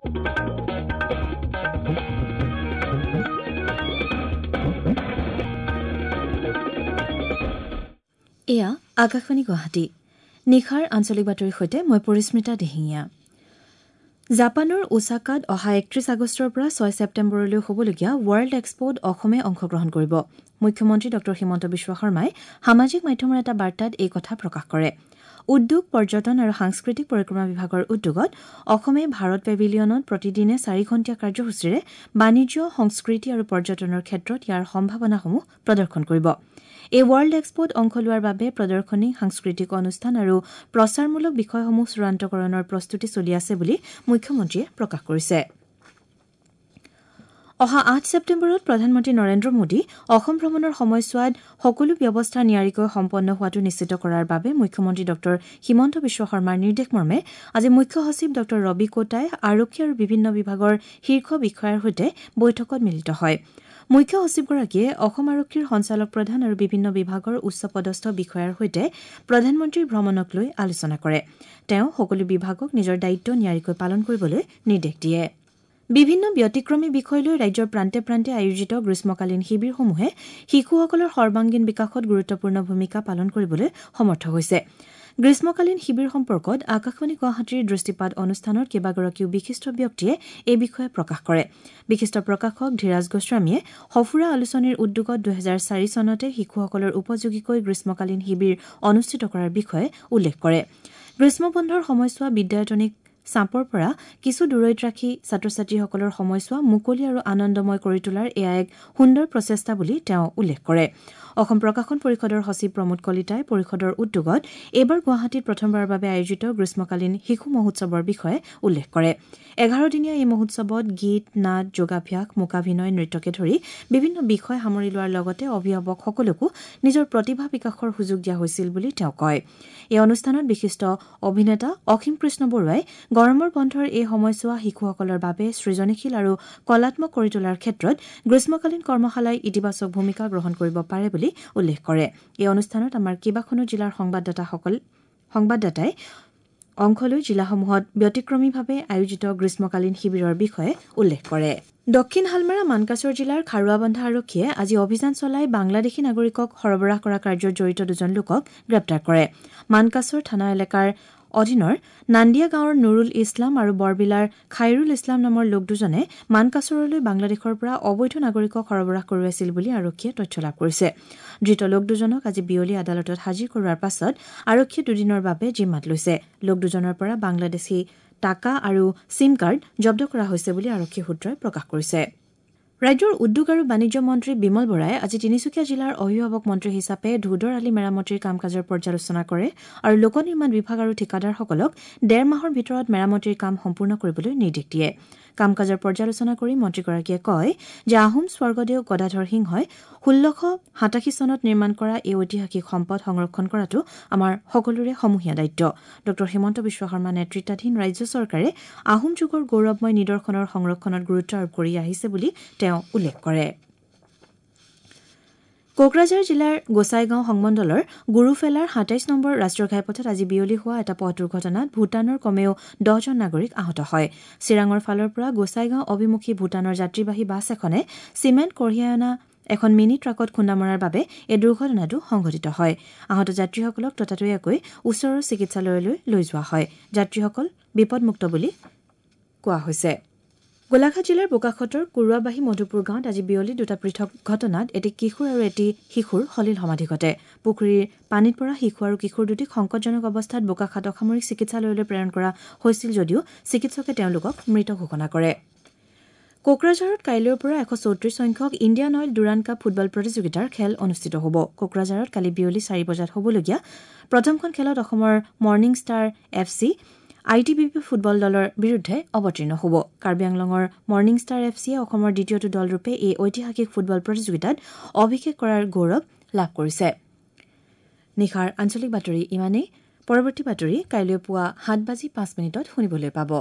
এয়া আকাশবাণী গুৱাহাটী। নিশাৰ আঞ্চলিক বাতৰিৰ সৈতে মই পৰিস্মিতা দিহিঙীয়া। জাপানৰ ওছাকাত অহা ৩১ আগষ্টৰ পৰা ৬ ছেপ্টেম্বৰলৈ হ'বলগীয়া ৱৰ্ল্ড এক্সপ'ত অসমে অংশগ্ৰহণ কৰিব। মুখ্যমন্ত্ৰী ড হিমন্ত বিশ্ব শৰ্মাই সামাজিক মাধ্যমৰ এটা বাৰ্তাত এই কথা প্ৰকাশ কৰে। উদ্যোগ, পৰ্যটন আৰু সাংস্কৃতিক পৰিক্ৰমা বিভাগৰ উদ্যোগত অসমে ভাৰত পেভিলিয়নত প্ৰতিদিনে ৪ ঘণ্টীয়া কাৰ্যসূচীৰে বাণিজ্য, সংস্কৃতি আৰু পৰ্যটনৰ ক্ষেত্ৰত ইয়াৰ সম্ভাৱনাসমূহ প্ৰদৰ্শন কৰিব। এই ৱৰ্ল্ড এক্সপ'ত অংশ লোৱাৰ বাবে প্ৰদৰ্শনী, সাংস্কৃতিক অনুষ্ঠান আৰু প্ৰচাৰমূলক বিষয়সমূহ চূড়ান্তকৰণৰ প্ৰস্তুতি চলি আছে বুলি মুখ্যমন্ত্ৰীয়ে প্ৰকাশ কৰিছে। অহা ৮ ছেপ্টেম্বৰত প্ৰধানমন্ত্ৰী নৰেন্দ্ৰ মোদী অসম ভ্ৰমণৰ সময়ছোৱাত সকলো ব্যৱস্থা নিয়াৰিকৈ সম্পন্ন হোৱাটো নিশ্চিত কৰাৰ বাবে মুখ্যমন্ত্ৰী ড হিমন্ত বিশ্ব শৰ্মাৰ নিৰ্দেশমৰ্মে আজি মুখ্য সচিব ড ৰবি কোটাই আৰক্ষী আৰু বিভিন্ন বিভাগৰ শীৰ্ষ বিষয়াৰ সৈতে বৈঠকত মিলিত হয়। মুখ্য সচিবগৰাকীয়ে অসম আৰক্ষীৰ সঞ্চালক প্ৰধান আৰু বিভিন্ন বিভাগৰ উচ্চপদস্থ বিষয়াৰ সৈতে প্ৰধানমন্ত্ৰীৰ ভ্ৰমণক লৈ আলোচনা কৰে। তেওঁ সকলো বিভাগক নিজৰ দায়িত্ব নিয়াৰিকৈ পালন কৰিবলৈ নিৰ্দেশ দিয়ে। বিভিন্ন ব্যতিক্ৰমী বিষয় লৈ ৰাজ্যৰ প্ৰান্তে প্ৰান্তে আয়োজিত গ্ৰীষ্মকালীন শিবিৰসমূহে শিশুসকলৰ সৰ্বাংগীন বিকাশত গুৰুত্বপূৰ্ণ ভূমিকা পালন কৰিবলৈ সমৰ্থ হৈছে। গ্ৰীষ্মকালীন শিবিৰ সম্পৰ্কত আকাশবাণী গুৱাহাটীৰ দৃষ্টিপাত অনুষ্ঠানত কেইবাগৰাকীও বিশিষ্ট ব্যক্তিয়ে এই বিষয়ে প্ৰকাশ কৰে। বিশিষ্ট প্ৰকাশক ধীৰাজ গোস্বামীয়ে সফুৰা আলোচনীৰ উদ্যোগত ২০০৪ চনতে শিশুসকলৰ উপযোগীকৈ গ্ৰীষ্মকালীন শিবিৰ অনুষ্ঠিত কৰাৰ বিষয়ে উল্লেখ কৰে। গ্ৰীষ্মবন্ধৰ সময়ছোৱা বিদ্যায়তনিক চাপৰ পৰা কিছু দূৰৈত ৰাখি ছাত্ৰ ছাত্ৰীসকলৰ সময়ছোৱা মুকলি আৰু আনন্দময় কৰি তোলাৰ এয়া এক সুন্দৰ প্ৰচেষ্টা বুলি তেওঁ উল্লেখ কৰে। অসম প্ৰকাশন পৰিষদৰ সচিব প্ৰমোদ কলিতাই পৰিষদৰ উদ্যোগত এইবাৰ গুৱাহাটীত প্ৰথমবাৰৰ বাবে আয়োজিত গ্ৰীষ্মকালীন শিশু মহোৎসৱৰ বিষয়ে উল্লেখ কৰে। ১১ দিনীয়া এই মহোৎসৱত গীত, নাট, যোগাভ্যাস, মূকাভিনয়, নৃত্যকে ধৰি বিভিন্ন বিষয় সামৰি লোৱাৰ লগতে অভিভাৱকসকলকো নিজৰ প্ৰতিভা বিকাশৰ সুযোগ দিয়া হৈছিল বুলি তেওঁ কয়। এই অনুষ্ঠানত বিশিষ্ট অভিনেতা অসীম কৃষ্ণ বৰুৱাই গৰমৰ বন্ধৰ এই সময়ছোৱা শিশুসকলৰ বাবে সৃজনশীল আৰু কলাত্মক কৰি তোলাৰ ক্ষেত্ৰত গ্ৰীষ্মকালীন কৰ্মশালাই ইতিবাচক ভূমিকা গ্ৰহণ কৰিব পাৰে বুলি উল্লেখ কৰে। এই অনুষ্ঠানত আমাৰ কেইবাখনো জিলাৰ সংবাদদাতাই অংশ লৈ জিলাসমূহত ব্যতিক্ৰমীভাৱে আয়োজিত গ্ৰীষ্মকালীন শিবিৰৰ বিষয়ে উল্লেখ কৰে। দক্ষিণ হালমাৰা মানকাচৰ জিলাৰ খাৰুৱাবন্ধা আৰক্ষীয়ে আজি অভিযান চলাই বাংলাদেশী নাগৰিকক সৰবৰাহ কৰা কাৰ্যত জড়িত দুজন লোকক গ্ৰেপ্তাৰ কৰে। মানকাচৰ থানা এলেকাৰ অধীনৰ নান্দিয়া গাঁৱৰ নুৰুল ইছলাম আৰু বৰবিলাৰ খাইৰুল ইছলাম নামৰ লোক দুজনে মানকাচৰলৈ বাংলাদেশৰ পৰা অবৈধ নাগৰিকক সৰবৰাহ কৰোৱাইছিল বুলি আৰক্ষীয়ে তথ্য লাভ কৰিছে। ধৃত লোক দুজনক আজি বিয়লি আদালতত হাজিৰ কৰোৱাৰ পাছত আৰক্ষীয়ে দুদিনৰ বাবে জিম্মাত লৈছে। লোক দুজনৰ পৰা বাংলাদেশী টাকা আৰু চিম কাৰ্ড জব্দ কৰা হৈছে বুলি আৰক্ষী সূত্ৰই প্ৰকাশ কৰিছে। ৰাজ্যৰ উদ্যোগ আৰু বাণিজ্য মন্ত্ৰী বিমল বৰাই আজি তিনিচুকীয়া জিলাৰ অভিভাৱক মন্ত্ৰী হিচাপে ধোদৰ আলি মেৰামতিৰ কাম কাজৰ পৰ্যালোচনা কৰে আৰু লোক নিৰ্মাণ বিভাগ আৰু ঠিকাদাৰসকলক ডেৰ মাহৰ ভিতৰত মেৰামতিৰ কাম সম্পূৰ্ণ কৰিবলৈ নিৰ্দেশ দিয়ে। কাম কাজৰ পৰ্যালোচনা কৰি মন্ত্ৰীগৰাকীয়ে কয় যে আহোম স্বৰ্গদেউ গদাধৰ সিংহই ১৬৮৭ চনত নিৰ্মাণ কৰা এই ঐতিহাসিক সম্পদ সংৰক্ষণ কৰাটো আমাৰ সকলোৰে সমূহীয়া দায়িত্ব। ড হিমন্ত বিশ্ব শৰ্মা নেতৃত্বাধীন ৰাজ্য চৰকাৰে আহোম যুগৰ গৌৰৱময় নিদৰ্শনৰ সংৰক্ষণত গুৰুত্ব আৰোপ কৰি আহিছে বুলি তেওঁ উল্লেখ কৰে। কোকৰাঝাৰ জিলাৰ গোসাইগাঁও সংমণ্ডলৰ গুৰুফেলাৰ ২৭ নম্বৰ ৰাষ্ট্ৰীয় ঘাইপথত আজি বিয়লি হোৱা এটা পথ দুৰ্ঘটনাত ভূটানৰ কমেও ১০জন নাগৰিক আহত হয়। চিৰাঙৰ ফালৰ পৰা গোসাইগাঁও অভিমুখী ভূটানৰ যাত্ৰীবাহী বাছ এখনে চিমেণ্ট কঢ়িয়াই অনা এখন মিনি ট্ৰাকত খুন্দা মৰাৰ বাবে এই দুৰ্ঘটনাটো সংঘটিত হয়। আহত যাত্ৰীসকলক ততাতৈয়াকৈ ওচৰৰ চিকিৎসালয়লৈ লৈ যোৱা হয়। যাত্ৰীসকল বিপদমুক্ত বুলি কোৱা হৈছে। গোলাঘাট জিলাৰ বোকাখাতৰ কুৰুৱাবাহী মধুপুৰ গাঁৱত আজি বিয়লি দুটা পৃথক ঘটনাত এটি কিশোৰ আৰু এটি শিশুৰ সলিল সমাধি ঘটে। পুখুৰীৰ পানীত পৰা শিশু আৰু কিশোৰ দুটিক সংকটজনক অৱস্থাত বোকাখাত অসামৰিক চিকিৎসালয়লৈ প্ৰেৰণ কৰা হৈছিল যদিও চিকিৎসকে তেওঁলোকক মৃত ঘোষণা কৰে। কোকৰাঝাৰত কাইলৈৰ পৰা ১৩৪ সংখ্যক Indian oil Durand cup football প্ৰতিযোগিতাৰ খেল অনুষ্ঠিত হ'ব। কোকৰাঝাৰত কালি বিয়লি ৪ বজাত হ'বলগীয়া প্ৰথমখন খেলত অসমৰ morning star F C I T B P football দলৰ বিৰুদ্ধে অৱতীৰ্ণ হ'ব। কাৰ্বি আংলঙৰ মৰ্ণিং ষ্টাৰ এফ চিয়ে অসমৰ দ্বিতীয়টো দলৰূপে এই ঐতিহাসিক ফুটবল প্ৰতিযোগিতাত অভিষেক কৰাৰ গৌৰৱ লাভ কৰিছে। নিশাৰ আঞ্চলিক বাতৰি ইমানেই। পৰৱৰ্তী বাতৰি কাইলৈ পুৱা ৭:০৫ শুনিবলৈ পাব।